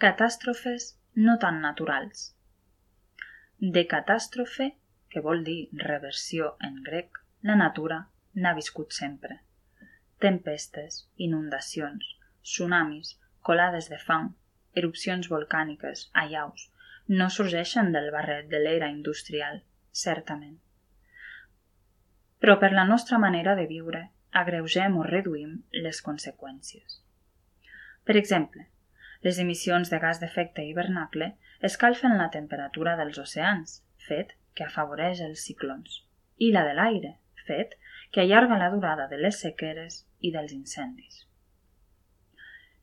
catàstrofes no tan naturals. De catàstrofe, que vol dir reversió en grec, la natura n'ha viscut sempre. Tempestes, inundacions, tsunamis, colades de fang, erupcions volcàniques, allaus, no sorgeixen del barret de l'era industrial, certament. Però per la nostra manera de viure, agreugem o reduïm les conseqüències. Per exemple, les emissions de gas d'efecte hivernacle escalfen la temperatura dels oceans, fet que afavoreix els ciclons, i la de l'aire, fet que allarga la durada de les sequeres i dels incendis.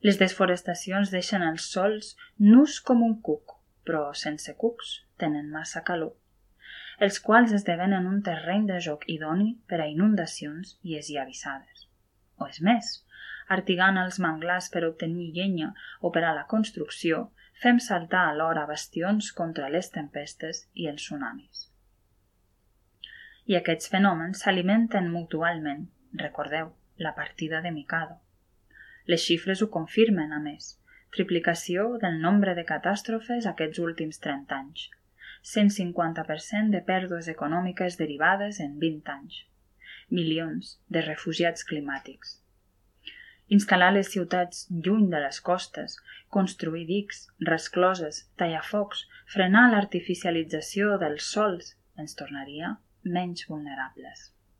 Les desforestacions deixen els sòls nus com un cuc, però sense cucs tenen massa calor, els quals esdevenen un terreny de joc idoni per a inundacions i esllavissades. O és més, artigant els manglars per obtenir llenya o per a la construcció, fem saltar alhora bastions contra les tempestes i els tsunamis. I aquests fenòmens s'alimenten mutualment, recordeu, la partida de Mikado. Les xifres ho confirmen, a més, triplicació del nombre de catàstrofes aquests últims 30 anys, 150% de pèrdues econòmiques derivades en 20 anys, milions de refugiats climàtics. Instal·lar les ciutats lluny de les costes, construir dics, rescloses, tallafocs, frenar l'artificialització dels sòls ens tornaria menys vulnerables.